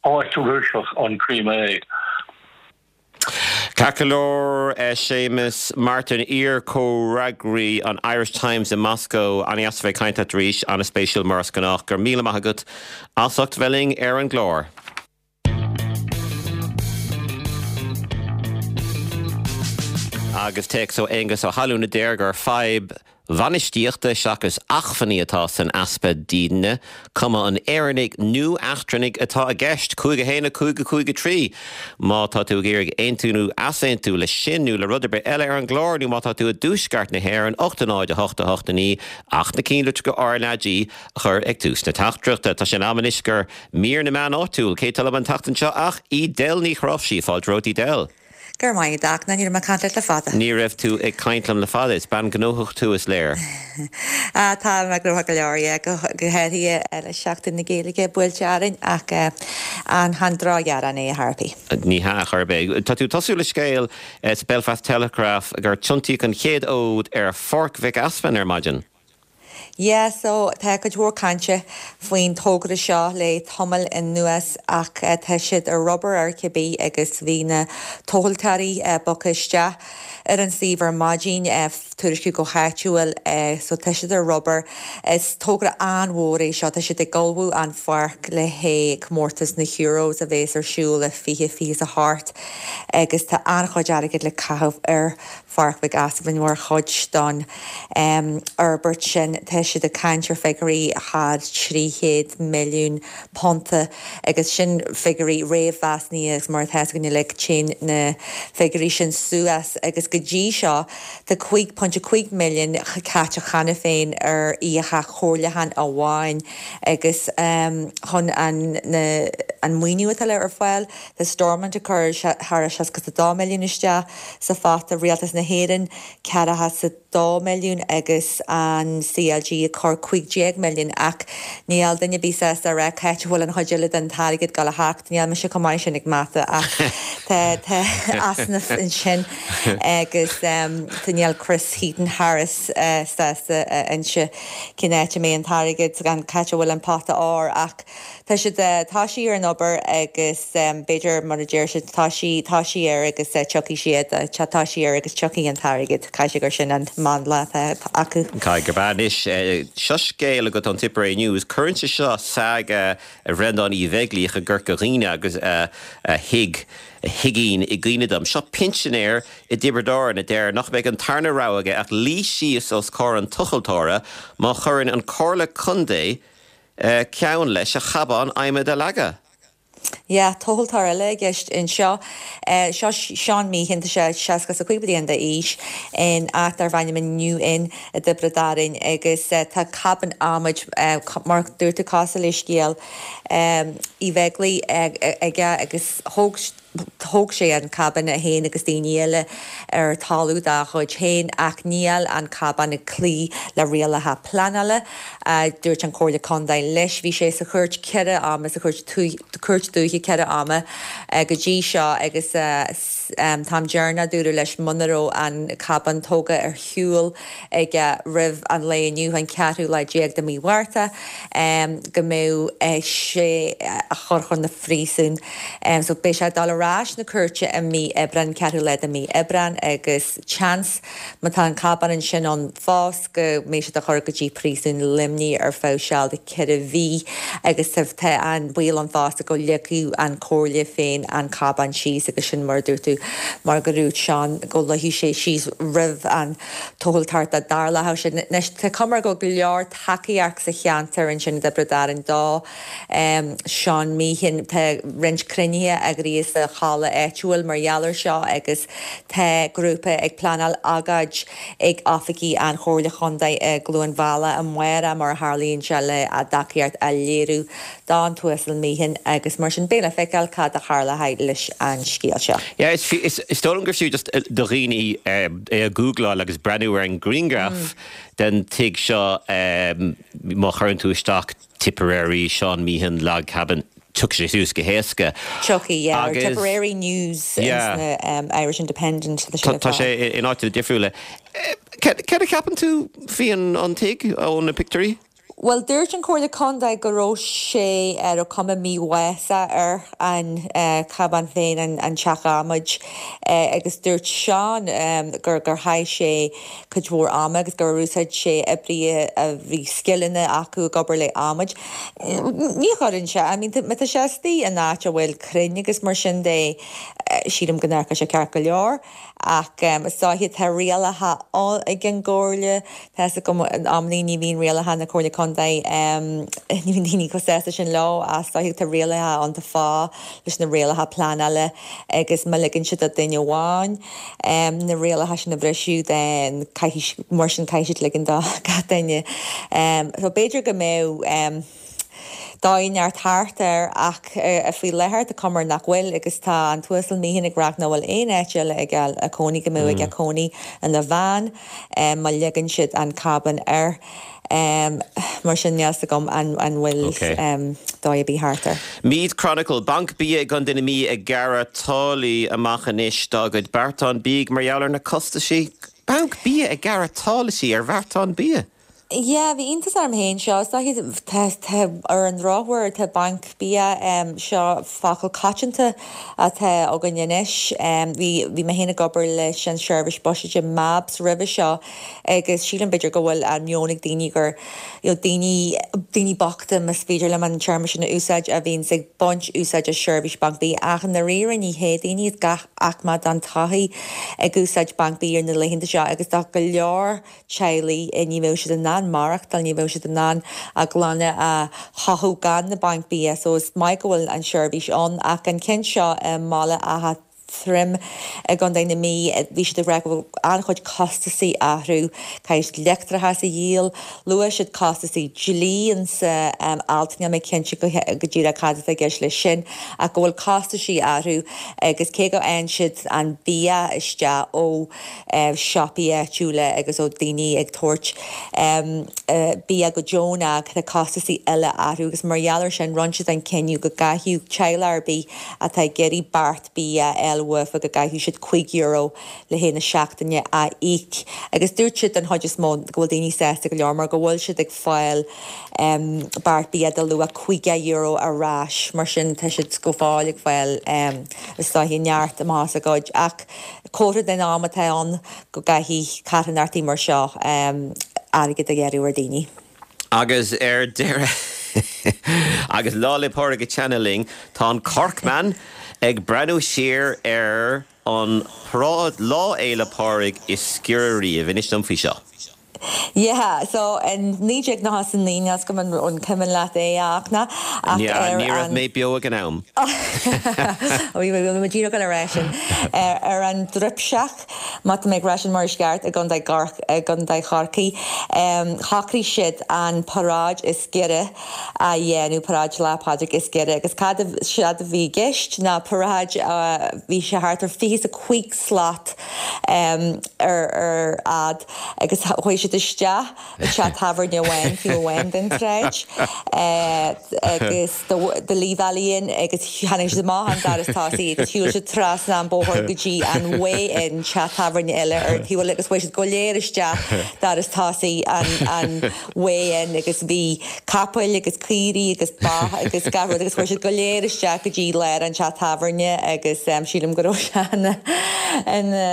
áit Rúiseach an Crimé. Ceart go leor Séamus Martin iar-chomhfhreagraí an Irish Times i Moscó an-deas a bheith ag caint leat arís an-spéisiúil mar is gnách go raibh míle maith agat as ucht bheith linn ar an gclár. Agus téacs ó Aonghus Ó hAlún a deir gur fadhb bhainistíochta seachas acmhainní atá san easpa dídine, cuma an Éireannaigh nó eachtrannaigh atá i gceist, cúig a haon a cúig a cúig a trí. Má tá tú ag iarraidh aontú nó easaontú leis sin nó le rud ar bith eile ar an gclár nó má tá tú i dtuaisceart na hÉireann, ocht a náid a hocht a hocht a naoi ach na cinnlitreacha RnaG a chur ag tús na teachtaireachta. Tá sé in am anois do mhír na meán áitiúil. Cé tá liom an tseachtain seo ach Edel Ní Chnáimhsí. Fáilte romhat Edel. Go raibh maith agat, ní raibh mé ag caint leat le fada. Ní raibh tú ag caint liom le fada, is bean gnóthach tú is léir. Ah, tá mé gnóthach go leor, yeah, go háirithe le Seachtain na Gaeilge buailte orainn ach an chan drochghearán é a tharpaí. Ní hea, chor ar bith. Tá tú ag tosú le scéal sa Belfast Telegraph gur tiontaíodh an chéad fhód ar Pháirc Mhic Easmainn ar maidin. Yeah, so tá cuid mhór cainte faoin togra seo le tamall anuas ach tá siad ar obair ar cibé agus bhí na tomhaltóirí bogtha isteach ar an suíomh ar maidin, tuairisciú go háitiúil, so tá siad ar obair. Is togra an-mhór é seo, tá siad ag ullmhú an pháirc le haghaidh comórtas na Euros a bheas ar siúl i fiche fiche a hocht agus tá an-chuid airgid le caitheamh ar Pháirc Mhic Easmainn mar chuid don fhorbairt sin. Tá siad ag caint ar figiúirí thar trí chéad milliún punt agus sin figiúirí réamh-mheasnaithe agus mar atá a fhios againn uilig téann na figiúirí sin suas agus go dtí seo tá cúig ponc cúig milliún caite cheana féin ar fhiacha chomhairliúcháin amháin agus chun an an maoiniú atá le ar fáil tá Stormont ag cur thar seasca a dó milliún isteach sa phota, Rialtas na hÉireann ceathracha is a dó milliún agus an C L G ag cur cúig déag milliún, ach níl duine ar bith sásta a rá cá háit a bhfuil an chuid eile den t-airgead ag dul a theacht. Níl mise chomh maith sin ag mata, ach tá tá easnamh ansin agus tá níl Chris Heaton Harris sásta a inse cén áit a mbeidh an t-airgead, gan cá háit a bhfuil an pota óir, ach tá siad tá sí ar an obair agus b'fhéidir, mar a deir siad, tá sí tá sí air agus tiocfaidh siad, tá sí air agus tiocfaidh an t-airgead. Caithfidh sé gur sin an mandla acu. Caithfidh gurb ea. Anois, seo scéal agat ón Tipperary News. Cuireann sé seo saga a Bhreandáin Uí Bheaglaoich i gCorca Dhuibhne agus a thig a thigín i gcuimhne dom. Seo pinsinéir i dTiobraid Árann a deir nach mbeidh an tarna rogha aige ach luí síos os comhair an tochaltóra má chuireann an Comhairle Contae ceann leis a chabán adhmaid a leagadh. Yeah, tochaltóir eile i gceist anseo. Seo Seán Meehan, tá sé seasca is a cúig bliain d'aois, in áit darb ainm an New Inn i dTiobraid Árann, agus tá cabán adhmaid, mar dúirt tú, cosúil le scéal Uí Bheaglaoich, aige agus thóg thóg sé an cabán é féin agus daoine eile ar talamh dá chuid féin, ach níl an cabán ag cloí le rialacha pleanála, a dúirt an Chomhairle Contae leis. Bhí sé sa chúirt ceithre ama, sa chúirt cúirt dúiche ceithre ama go dtí seo, agus an t-am deireanach dúradh leis muna raibh an cabán tógtha ar shiúl aige roimh an lae inniu, an ceathrú lá déag de mhí Mhárta, go mbeadh sé á chur chun na phríosúin. So beidh sé ag dul ar ais na cúirte i mí Aibreán, ceathrú lá de mí Aibreán, agus seans, má tá an cabán ansin ann fós, go mbeidh siad á chur go dtí príosún Luimnigh ar feadh seal de ceithre mhí, agus tá an baol ann fosta go leagfadh an Chomhairle féin an cabán síos, agus sin mar a dúirt tú, mar go dúirt Seán go luífeadh sé síos roimh an tochaltóireacht dá dtarlódh sé. Anois tá cuma go go leor tacaíocht sa cheantar ansin i dTiobraid Árann do Seán Meehan. Tá roinnt cruinnithe eagraithe sa halla áitiúil mar gheall air seo, agus tá grúpa ag pleanáil agóid ag oifigí an Chomhairle Chontae i gCluain Mheala amárach, mar a tharlaíonn sé, le a dtacaíocht a léiriú don tUasal Meehan, agus mar sin beidh le feiceáil cad a tharlóidh leis an scéal seo. Yeah, is is is dóigh liom gur fiú just do dhaoine é a googláil agus breathnú ar an grianghraf den tigh seo. Má chuireann tú isteach Tipperary Sean Meehan log cabin, tiocfaidh sé suas go héasca. Tiocfaidh, yeah, Tipperary News, yeah. um, Irish Independent. Tá sé in áiteanna difriúla. Cad a cheapann tú faoi an tigh ó na pictiúirí? Well, dúirt an Comhairle Contae go raibh sé ar a cuma mímhaise ar an uh, cabán féin, an, an teach adhmaid, uh, agus dúirt Seán um, gur gur chaith sé cuid mhór ama agus gur úsáid sé oibrithe a bhí scileanna acu ag obair le adhmad. Ní chuireann sé, I mean, má tá sé istigh in áit a bhfuil crainn agus mar sin de, sílim go n-amharcfaidh sé ceart go leor, ach um, is dóiche tá rialacha ag an gcomhairle, tá go amlí ní bhíonn rialacha na Comhairle Contae, um, ní bhíonn daoine chomh sásta sin leo, as dóiche tá rialacha an fá leis na rialacha pleanála, agus má ligeann siad do duine amháin um, na rialacha sin a bhriseadh, den mar sin caithfidh siad ligean do gach duine. Um, so b'fhéidir go mbeidh um, dóigh neart thart air, ach uh, faoi láthair tá cuma nach bhfuil, agus tá an tUasal Meehan ag rá nach bhfuil aon áit eile ag a cónaí, go mbeidh ag cónaí ina bhean um, má ligeann siad an cabán air. Um, mar sin níl a fhios agam an, an bhfuil okay. um, dóigh ar bith thart air. Meath Chronicle, Banc Bia i gContae na Mí ag gearradh táillí amach anois dá gcuid beartán bídh mar gheall ar na costaisí. Banc Bia ag gearradh táillí ar bheartán bia. Yeah, bhí iontas orm féin seo. Ar an drochuair tá banc bia, um, seo focal coitianta atá againn anois. Um, bhí bhí mé féin ag obair leis an seirbhís buiséid MABS roimhe seo, agus sílim b'fhéidir go bhfuil an meon ag daoine gur you know, daoine daoine bochta, más féidir liom an téarma sin a úsáid, a bhíonn ag baint úsáid as seirbhís banc bia, ach na riire ní hé daoine gach aicme den tsochaí ag úsáid banc bia ar na laethanta seo, agus tá go leor teaghlaigh ní bheadh siad in ann maireachtáil, ní bheadh siad in ann a gclanna a chothú gan na banc bia, so is maith go bhfuil an seirbhís ann, ach an ceann seo i mBaile Átha tirim i gContae na Mí, bhí siad ag rá go bhfuil an-chuid costasaí orthu, caithfidh siad leictreachas a dhíol, luaigh siad costasaí dlí insa alt, níl mé cinnte go díreach cad atá i gceist leis sin, ach go bhfuil costaisí orthu agus cé go bhfaigheann siad an bia isteach ó siopaí áitiúla agus ó daoine ag tabhairt bia go deonach, tá costasaí eile orthu agus mar gheall ar sin rinne siad an cinneadh go gcaithfeadh teaghlach ar bith atá ag iarraidh beart bia a fháil uafa go gcaithfidh siad cúig euro le haghaidh na seachtaine a íoc agus dúirt siad den chuid is mó go bhfuil daoine sásta go leor mar go bhfuil siad ag fáil beart bia de luach caoga euro ar ais mar sin tá siad go fóill ag fáil is dóiche neart amach as a gcuid ach comhartha den am atá ann go gcaithfidh carthanachtaí mar seo airgead a ghearradh ar daoine. Agus ar deireadh, agus Lá 'le Pádraig ag teannadh linn, tá an Corkman ag breathnú siar ar an paráid Lá Fhéile Pádraig is giorra riamh. Inis dom faoi seo. Yeah, so in naoi déag nócha is a naoi, níl 's agam an cuimhin leat é a Fhachtna, ach ar an. Ní raibh mé beo ag an am. Bhí mé díreach le rá sin. Ar an Druipseach, má tá mé ag rá sin mar is ceart, i gContae Chorcaí, shocraigh siad an paráid is giorra a dhéanamh, paráid Lá Pádraig is giorra, agus cad a séard a bhí i gceist ná paráid a bhí sé thart ar fiche is a cúig slat ar ar fhad agus chuaigh siad isteach i dteach tábhairne amháin taobh amháin den tsráid agus The Lee Valley Inn agus tháinig siad amach an doras tosaigh agus shiúil siad trasna an bóthar go dtí an Way Inn, teach tábhairne eile ar an taobh eile agus chuaigh siad go léir isteach doras tosaigh an an Way Inn agus bhí capaill agus caoirigh agus ba agus gach rud agus chuaigh siad go léir isteach go dtí lár an teach tábhairne agus sílim go raibh sé ina ina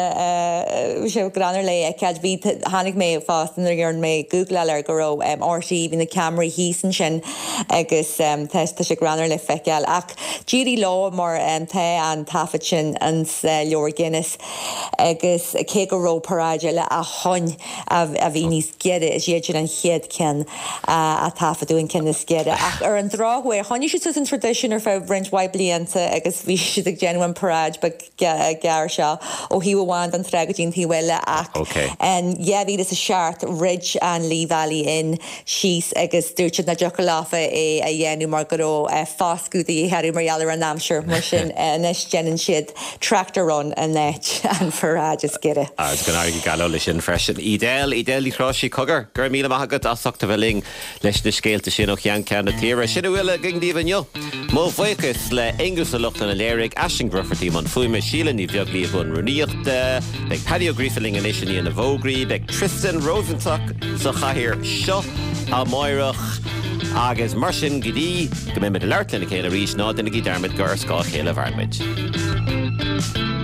bhí sé greannmhar le feiceáil. Bhí tháinig mé fosta nuair a dhearna mé googláil air go raibh RTÉ bhí na ceamaraí thíos ansin agus tá tá sé greannmhar le feiceáil ach d'éirigh leo mar tá an taifead sin ins leabhar Guinness agus cé go raibh paráid eile ó shoin a bhí níos giorra is iad sin an chéad ceann a taifeadadh an ceann is giorra ach ar an drochuair choinnigh siad suas an traidisiún ar feadh roinnt mhaith blianta agus bhí siad ag déanamh an paráid beag gearr seo ó thaobh amháin den trá go dtí an taobh eile ach in dhá mhíle is a seacht throid an Lee Valley Inn síos agus dúirt siad nach dtiocfadh leofa é a dhéanamh mar go raibh foscadh de dhíth orthu mar gheall ar an aimsir mar sin anois déanann siad tractor run in áit an pharáid is giorra. Agus go n-éirí go geal leis sin freisin. Edel, Edel Ní Chráisí, cogar, go raibh míle maith agat as ucht a bheith linn leis na scéalta sin ó cheann ceann na tíre. Sin a bhfuil againn daoibh inniu. Mo bhuíochas le Aonghus Ó Lochlainn a léirigh, Aisling Bhrufferty i mbun fuaime, Síle Ní Bheaglaoich i mbun rúnaíochta. Beidh Paddy Ó Gríofa linn anois i ndiaidh na bhfógraí. Beidh Tristan Rosenstock sa chathaoir seo amáireach agus mar sin go dtí go mbeimid ag labhairt lena chéile arís, ná déanaigí dearmad gur ar scáth a chéile a mhaireann muid.